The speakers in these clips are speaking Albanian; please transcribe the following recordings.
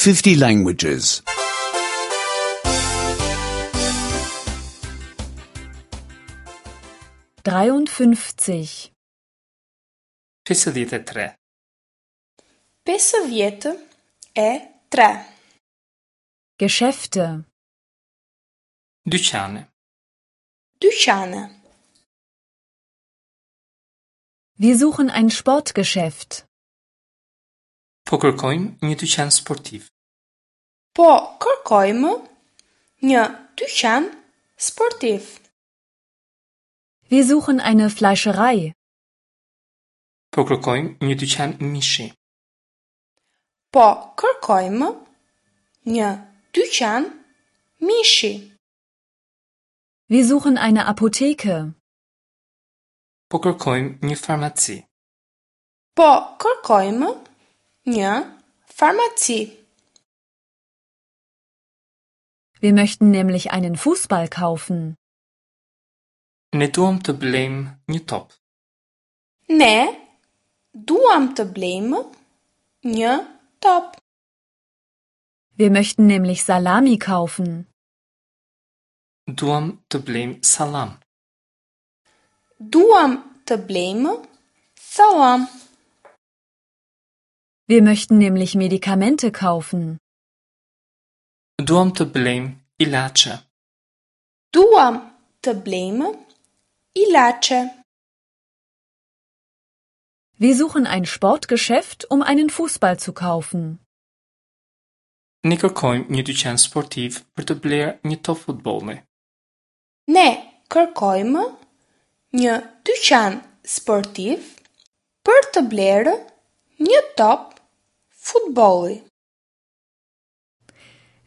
50 languages. 53. 53. 53. Geschäfte. Dyqane. Dyqane. Wir suchen ein Sportgeschäft. Po kërkojmë një dyqan sportiv. Po kërkojmë një dyqan sportiv. Wir suchen eine Fleischerei. Po kërkojmë një dyqan mishi. Po kërkojmë një dyqan mishi. Wir suchen eine Apotheke. Po kërkojmë një farmaci. Po kërkojmë një farmaci. Wir möchten nämlich einen Fußball kaufen. Ne duam të blejmë një top. Ne duam të blejmë një top. Wir möchten nämlich Salami kaufen. Duam të blejmë sallam. Duam të blejmë sallam. Wir möchten nämlich Medikamente kaufen. Duam të blejmë ilaçe. Duam të blejmë ilaçe. Wir suchen ein Sportgeschäft, um einen Fußball zu kaufen. Ne kërkojmë një dyqan sportiv për të blerë një top futbolli. Ne kërkojmë një dyqan sportiv për të blerë një top futbolli.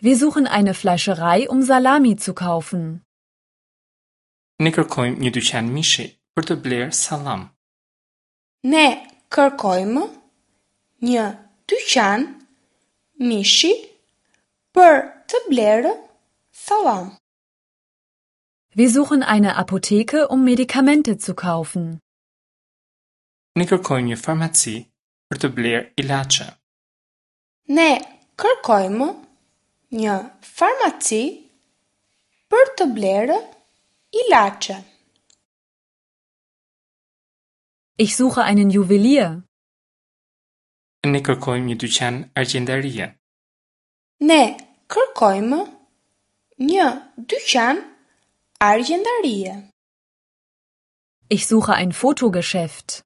Wir suchen eine Fleischerei, um Salami zu kaufen. Ne kërkojmë një dyqan mishi për të blerë sallam. Ne kërkojmë një dyqan mishi për të blerë sallam. Wir suchen eine Apotheke, um Medikamente zu kaufen. Ne kërkojmë një farmaci për të blerë ilaçe. Ne kërkojmë një farmaci për të blerë ilaçe. Ich suche einen Juwelier. Ne kërkojmë një dyqan argjendarie. Ne kërkojmë një dyqan argjendarie. Ich suche ein Fotogeschäft.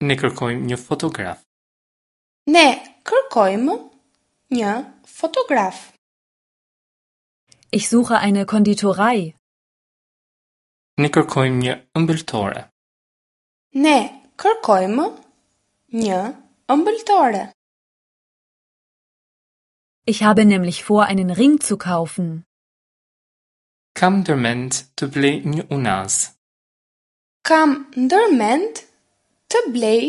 Ne kërkojmë një fotograf. Ne kërkojmë një fotograf. Ich suche eine Konditorei. Ne kërkojmë një ëmbëltore. Ne kërkojmë një ëmbëltore. Ich habe nämlich vor, einen Ring zu kaufen. Kam ndërmend të blej një unazë. Kam ndërmend të blej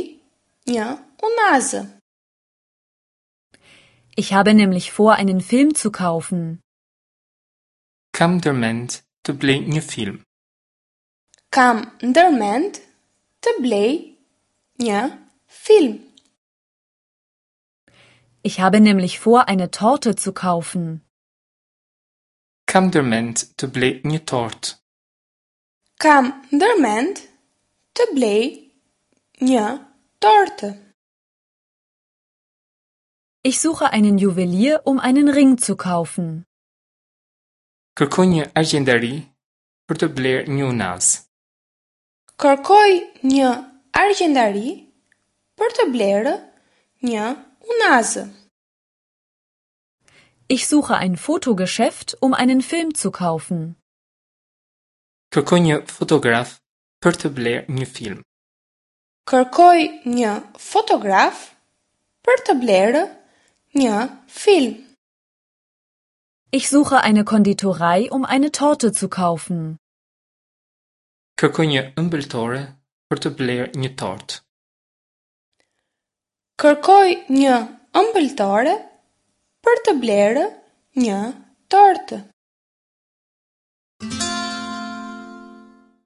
një unazë. Ich habe nämlich vor, einen Film zu kaufen. Kam ndërmend të blej një film. Kam ndërmend të blej një film. Ich habe nämlich vor, eine Torte zu kaufen. Kam ndërmend të blej një tortë. Kam ndërmend të blej një tortë. Ich suche einen Juwelier, um einen Ring zu kaufen. Kërkoj një argjendari për të blerë një unazë. Kërkoj një argjendari për të blerë një unazë. Ich suche ein Fotogeschäft, um einen Film zu kaufen. Kërkoj një fotograf për të blerë një film. Kërkoj një fotograf për të blerë një film. Ich suche eine Konditorei, um eine Torte zu kaufen. Kërkoj një ëmbëltore për të blerë një tortë. Kërkoj një ëmbëltore për të blerë një tortë.